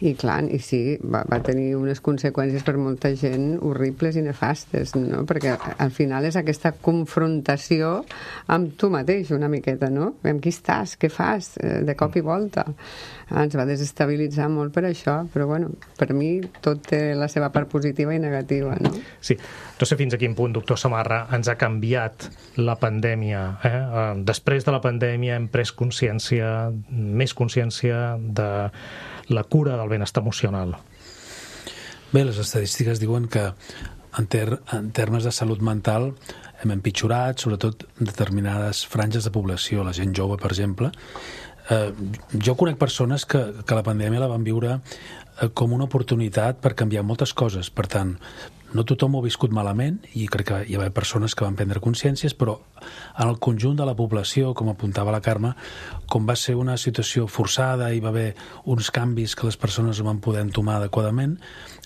I clar, i sí, va tenir unes conseqüències per molta gent horribles i nefastes, no? Perquè al final és aquesta confrontació amb tu mateix una miqueta, no? Amb qui estàs, què fas, de cop i volta. Ens va desestabilitzar molt per això, però bueno, per mi tot té la seva part positiva i negativa, no? Sí, no sé fins a quin punt, doctor Samarra, ens ha canviat la pandèmia. Després de la pandèmia hem pres consciència, més consciència de la cura del benestar emocional. Bé, les estadístiques diuen que en termes de salut mental hem empitjorat, sobretot determinades franges de població, la gent jove, per exemple. Jo conec persones que la pandèmia la van viure com una oportunitat per canviar moltes coses. Per tant, no tothom ho ha viscut malament, i crec que hi va haver persones que van prendre consciències, però en el conjunt de la població, com apuntava la Carme, com va ser una situació forçada, hi va haver uns canvis que les persones no van poder entomar adequadament,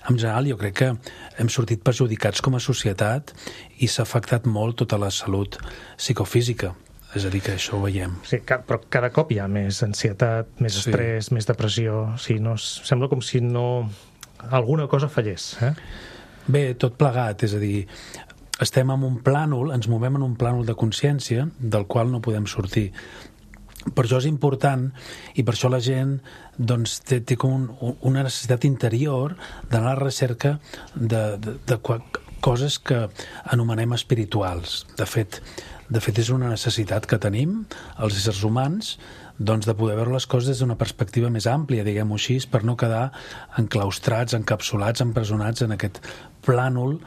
en general jo crec que hem sortit perjudicats com a societat i s'ha afectat molt tota la salut psicofísica. És a dir, que això ho veiem. Sí, però cada cop hi ha més ansietat, més estrès, més depressió. Sí, no, sembla com si no... alguna cosa fallés. Bé, tot plegat, és a dir, estem en un plànol, ens movem en un plànol de consciència del qual no podem sortir. Per això és important, i per això la gent doncs, té com una necessitat interior d'anar a la recerca de coses que anomenem espirituals. De fet, és una necessitat que tenim, els éssers humans, doncs de poder veure les coses des d'una perspectiva més àmplia, diguem-ho així, per no quedar enclaustrats, encapsulats, empresonats en aquest plànol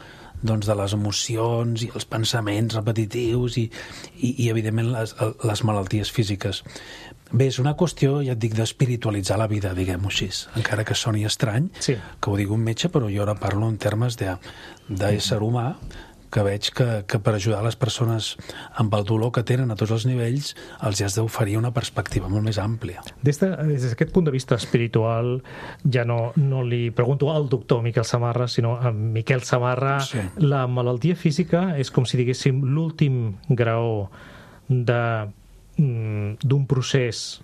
doncs, de les emocions i els pensaments repetitius i evidentment, les malalties físiques. Bé, és una qüestió, ja et dic, d'espiritualitzar la vida, diguem-ho així, encara que soni estrany, que ho digui un metge, però jo ara parlo en termes d'ésser humà, que veig que per ajudar les persones amb el dolor que tenen a tots els nivells els has d'oferir una perspectiva molt més àmplia. Des d'aquest punt de vista espiritual, ja no li pregunto al doctor Miquel Samarra, sinó a Miquel Samarra, la malaltia física és com si diguéssim l'últim graó d'un procés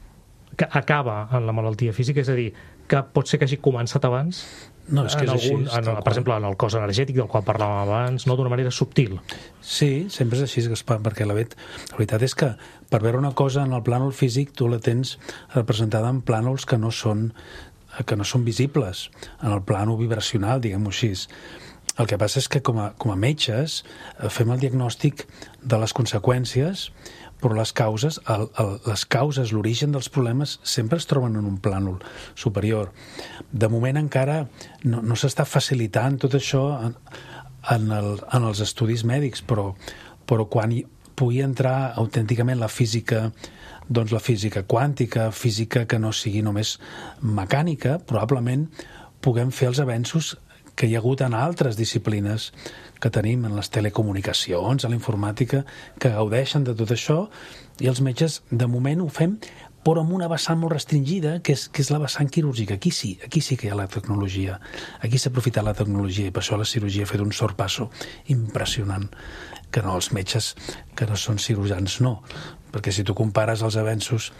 que acaba en la malaltia física, és a dir, que pot ser que hagi començat abans? No, és que és així. Per exemple, en el cos energètic del qual parlàvem abans, no d'una manera subtil. Sí, sempre és així, Gaspar, perquè la veritat és que per veure una cosa en el plànol físic tu la tens representada en plànols que no són visibles, en el plànol vibracional, diguem-ho així. El que passa és que com a metges fem el diagnòstic de les conseqüències, però les causes, l'origen dels problemes sempre es troben en un plànol superior. De moment encara no s'està facilitant tot això en els estudis mèdics, però quan pugui entrar autènticament la física, doncs la física quàntica, física que no sigui només mecànica, probablement puguem fer els avenços que hi ha hagut en altres disciplines que tenim, en les telecomunicacions, a la informàtica, que gaudeixen de tot això, i els metges, de moment, ho fem, però amb una vessant molt restringida, que és la vessant quirúrgica. Aquí sí que hi ha la tecnologia. Aquí s'ha aprofitat la tecnologia, i per això la cirurgia ha fet un sorpasso impressionant, que no els metges que no són cirurgians no, perquè si tu compares els avenços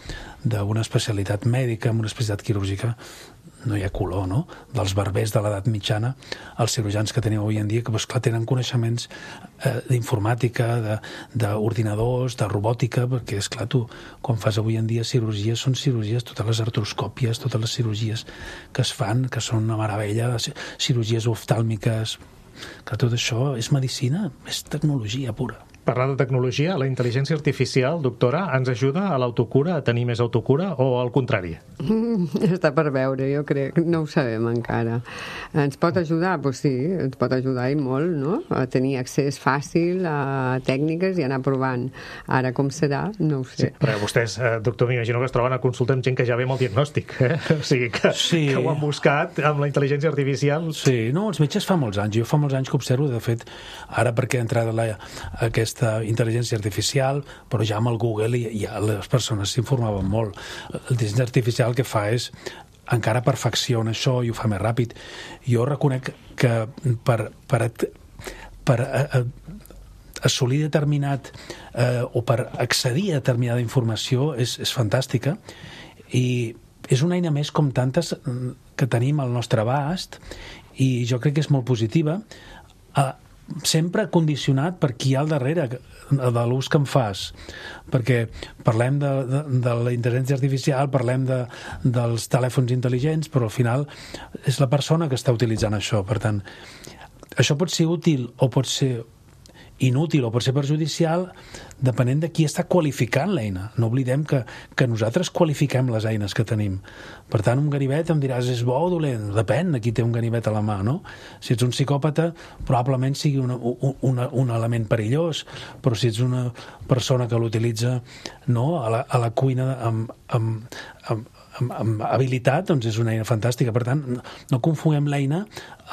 d'una especialitat mèdica amb una especialitat quirúrgica, no hi ha color, no? Dels barbers de l'edat mitjana, els cirurgians que tenim avui en dia, que doncs, clar, tenen coneixements d'informàtica, d'ordinadors, de robòtica, perquè, esclar, tu, quan fas avui en dia cirurgies, són cirurgies, totes les artroscòpies, totes les cirurgies que es fan, que són una meravella, cirurgies oftàlmiques, que tot això és medicina, és tecnologia pura. Parlant de tecnologia, la intel·ligència artificial, doctora, ens ajuda a l'autocura, a tenir més autocura, o al contrari? Està per veure, jo crec. No ho sabem encara. Ens pot ajudar? Doncs sí, ens pot ajudar i molt, no? A tenir accés fàcil a tècniques i anar provant. Ara com serà, no ho sé. Sí, però vostès, doctor, m'imagino que es troben a consulta amb gent que ja ve amb el diagnòstic, O sigui, que ho han buscat amb la intel·ligència artificial. Sí, no, els metges fa molts anys. Jo fa molts anys que observo, de fet, ara perquè ha entrat aquesta intel·ligència artificial, però ja amb el Google ja les persones s'informaven molt. L'intel·ligència artificial el que fa és encara perfecciona això i ho fa més ràpid. Jo reconec que per assolir determinat o per accedir a determinada informació és fantàstica i és una eina més com tantes que tenim al nostre abast i jo crec que és molt positiva, sempre condicionat per qui hi ha al darrere de l'ús que en fas, perquè parlem de la intel·ligència artificial, parlem dels telèfons intel·ligents, però al final és la persona que està utilitzant això. Per tant, això pot ser útil o pot ser inútil o pot ser perjudicial depenent de qui està qualificant l'eina. No oblidem que nosaltres qualifiquem les eines que tenim. Per tant, un ganivet em diràs, és bo o dolent? Depèn de qui té un ganivet a la mà, no? Si ets un psicòpata, probablement sigui un element perillós, però si ets una persona que l'utilitza a la cuina habilitat, doncs és una eina fantàstica. Per tant, no confonguem l'eina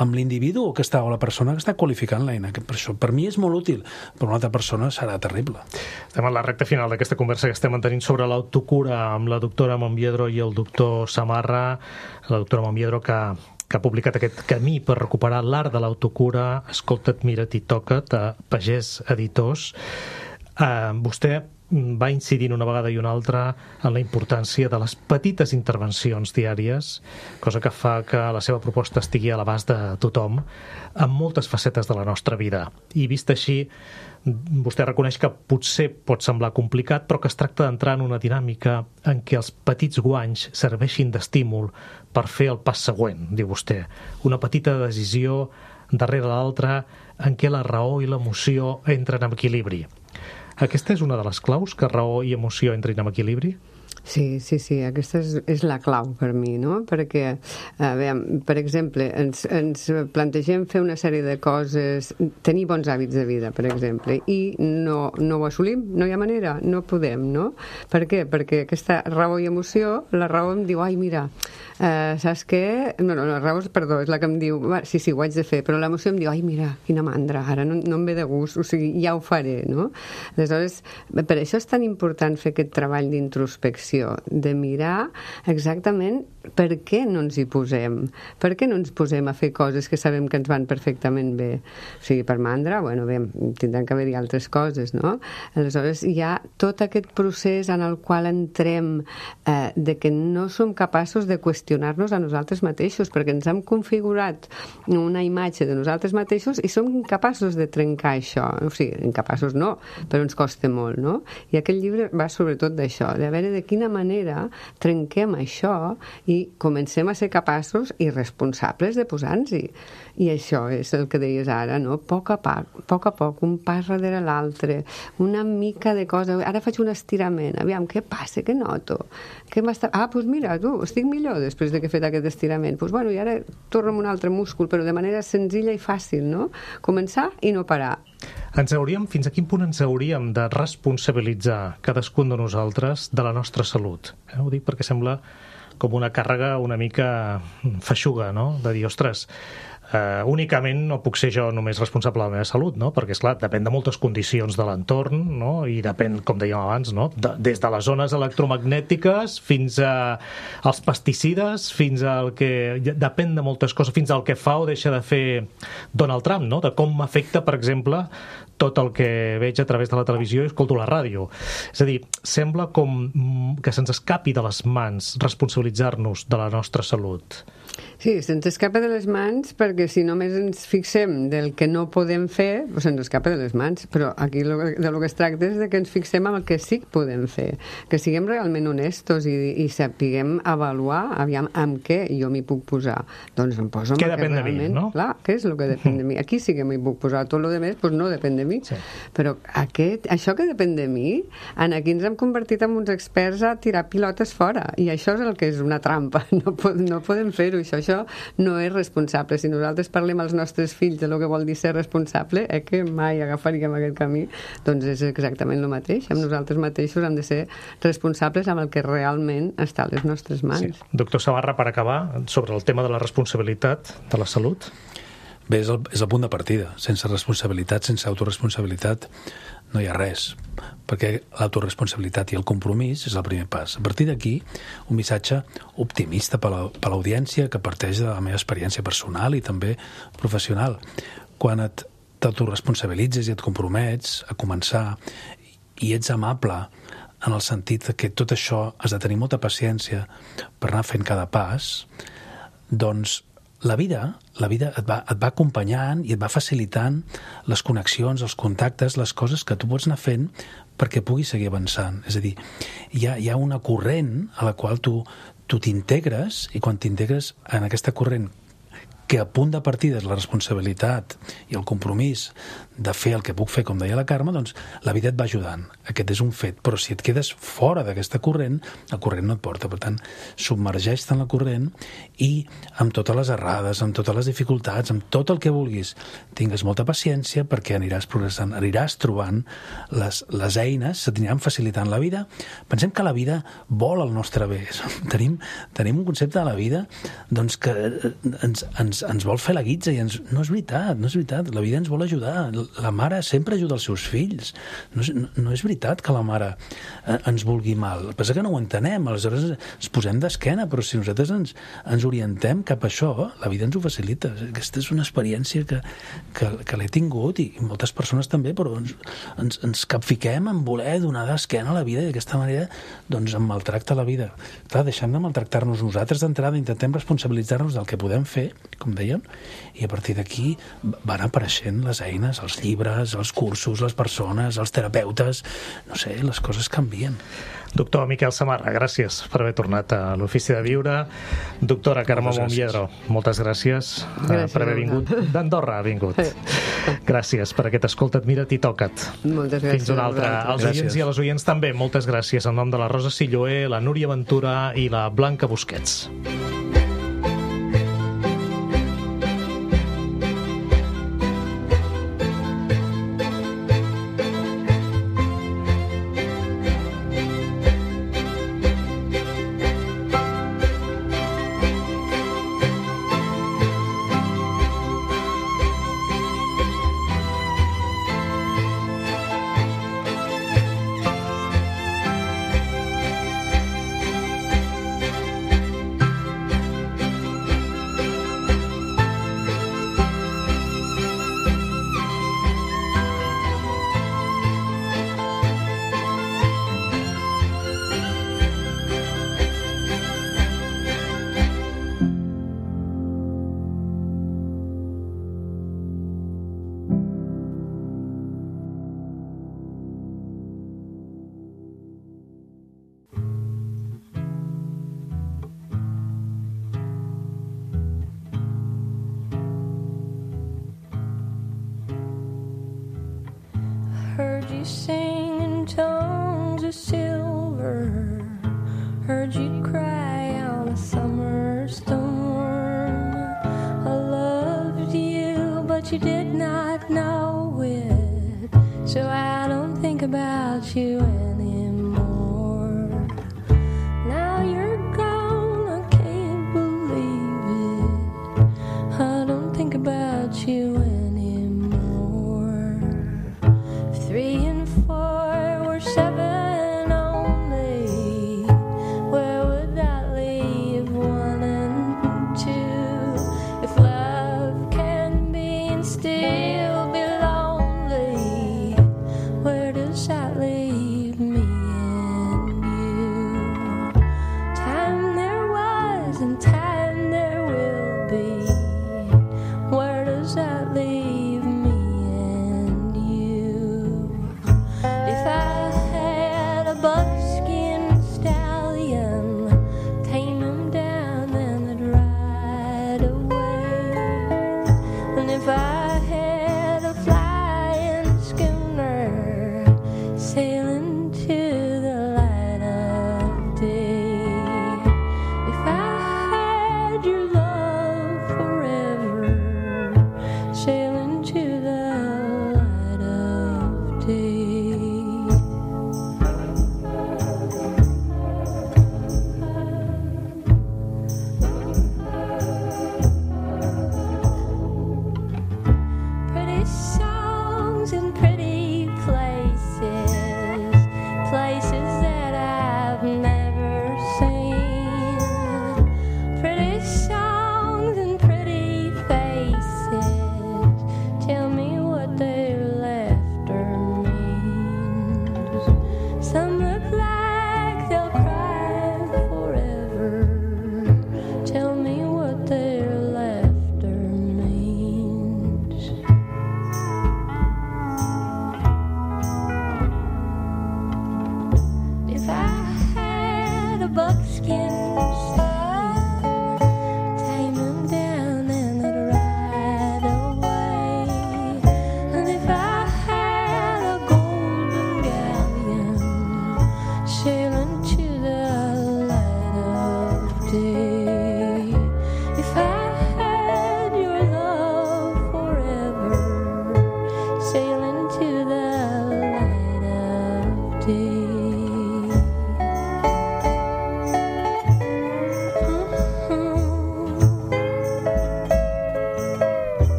amb l'individu o la persona que està qualificant l'eina. Per això, per mi és molt útil, per una altra persona serà terrible. Estem a la recta final d'aquesta conversa que estem mantenint sobre l'autocura amb la doctora Monviedro i el doctor Samarra. La doctora Monviedro que ha publicat aquest camí per recuperar l'art de l'autocura, Escolta't, mira't i toca't, a Pagès Editors. Vostè va incidint una vegada i una altra en la importància de les petites intervencions diàries, cosa que fa que la seva proposta estigui a l'abast de tothom en moltes facetes de la nostra vida. I vist així, vostè reconeix que potser pot semblar complicat, però que es tracta d'entrar en una dinàmica en què els petits guanys serveixin d'estímul per fer el pas següent, diu vostè. Una petita decisió darrere l'altra en què la raó i l'emoció entren en equilibri. Aquesta és una de les claus, que raó i emoció entrin en equilibri? Sí, aquesta és la clau per mi, no? Perquè, per exemple, ens plantegem fer una sèrie de coses, tenir bons hàbits de vida, per exemple, i no ho assolim, no hi ha manera, no podem, no? Per què? Perquè aquesta raó i emoció, la raó em diu, ai, mira, saps què? No, la raó, perdó, és la que em diu, sí, ho haig de fer, però l'emoció em diu, ai, mira, quina mandra, ara no em ve de gust, o sigui, ja ho faré, no? Aleshores, per això és tan important fer aquest treball d'introspecció, de mirar exactament per què no ens hi posem, per què no ens posem a fer coses que sabem que ens van perfectament bé. O sigui, per mandra, bueno, bé, tindran que haver-hi altres coses, no? Aleshores, hi ha tot aquest procés en el qual entrem de que no som capaços de qüestionar-nos a nosaltres mateixos, perquè ens hem configurat una imatge de nosaltres mateixos i som incapaços de trencar això. O sigui, incapaços no, però ens costa molt, no? I aquest llibre va sobretot d'això, de veure de quina manera trenquem això i comencem a ser capaços i responsables de posar-nos-hi. I això és el que deies ara, no? A poc a poc, un pas darrere l'altre, una mica de cosa. Ara faig un estirament, aviam, què passa, què noto? Doncs mira, estic millor després de que he fet aquest estirament. Doncs bueno, i ara torno amb un altre múscul, però de manera senzilla i fàcil, no? Començar i no parar. Fins a quin punt ens hauríem de responsabilitzar cadascun de nosaltres de la nostra salut? Ho dic perquè sembla com una càrrega una mica feixuga, no? De dir, ostres, únicament no puc ser jo només responsable de la meva salut, no? Perquè, esclar, depèn de moltes condicions de l'entorn, no? I depèn, com dèiem abans, no? Des de les zones electromagnètiques fins als pesticides, fins al que... Depèn de moltes coses, fins al que fa o deixa de fer Donald Trump, no? De com m'afecta, per exemple, tot el que veig a través de la televisió i escolto la ràdio. És a dir, sembla com que se'ns escapi de les mans responsabilitzar-nos de la nostra salut. Sí, se'ns escapa de les mans perquè si només ens fixem del que no podem fer, doncs se'ns escapa de les mans, però aquí de lo que es tracta és de que ens fixem en el que sí que podem fer, que siguem realment honestos i sapiguem avaluar, aviam, amb què jo m'hi puc posar. Doncs em poso amb el que realment... Què depèn de mi, no? Clar, què és el que depèn de mi? Aquí sí que m'hi puc posar, tot el demés doncs no depèn de mi. Sí. Però això que depèn de mi, aquí ens hem convertit en uns experts a tirar pilotes fora, i això és el que és una trampa, no podem fer-ho, això no és responsable. Si nosaltres parlem als nostres fills de lo que vol dir ser responsable, que mai agafaríem aquest camí, doncs és exactament el mateix. Amb nosaltres mateixos hem de ser responsables amb el que realment està a les nostres mans. Sí. Doctor Samarra, per acabar, sobre el tema de la responsabilitat de la salut. Bé, és el punt de partida. Sense responsabilitat, sense autoresponsabilitat, no hi ha res, perquè l'autoresponsabilitat i el compromís és el primer pas. A partir d'aquí, un missatge optimista per l'audiència que parteix de la meva experiència personal i també professional. Quan t'autoresponsabilitzes i et compromets a començar i ets amable en el sentit que tot això has de tenir molta paciència per anar fent cada pas, doncs la vida et va acompanyant i et va facilitant les connexions, els contactes, les coses que tu pots anar fent perquè puguis seguir avançant. És a dir, hi ha una corrent a la qual tu t'integres i quan t'integres en aquesta corrent que a punt de partida és la responsabilitat i el compromís de fer el que puc fer, com deia la Carme, doncs la vida et va ajudant. Aquest és un fet. Però si et quedes fora d'aquesta corrent, el corrent no et porta. Per tant, submergeix-te en la corrent i amb totes les errades, amb totes les dificultats, amb tot el que vulguis, tingues molta paciència perquè aniràs progressant, aniràs trobant les eines, se t'aniran facilitant la vida. Pensem que la vida vol el nostre bé. Tenim un concepte de la vida doncs, que ens vol fer la guitza i no és veritat. La vida ens vol ajudar. La mare sempre ajuda els seus fills. No és veritat que la mare ens vulgui mal. El que passa que no ho entenem, aleshores ens posem d'esquena, però si nosaltres ens orientem cap a això, la vida ens ho facilita. Aquesta és una experiència que l'he tingut i moltes persones també, però ens capfiquem en voler donar d'esquena a la vida i d'aquesta manera doncs em maltracta la vida. Clar, deixem de maltractar-nos nosaltres d'entrada, intentem responsabilitzar-nos del que podem fer, com dèiem, i a partir d'aquí van apareixent les eines, els llibres, els cursos, les persones, els terapeutes, no sé, les coses canvien. Doctor Miquel Samarra, gràcies per haver tornat a l'Ofici de Viure. Doctora Carme Monviedro, moltes gràcies per haver vingut. D'Andorra ha vingut. Gràcies per aquest Escolta't, mira't i toca't. Moltes gràcies. Fins una altra. Als oients i a les oients també, moltes gràcies en nom de la Rosa Silloé, la Núria Ventura i la Blanca Busquets. Heard you sing in tongues of silver, heard you cry on a summer storm. I loved you, but you did not know it, so I don't think about you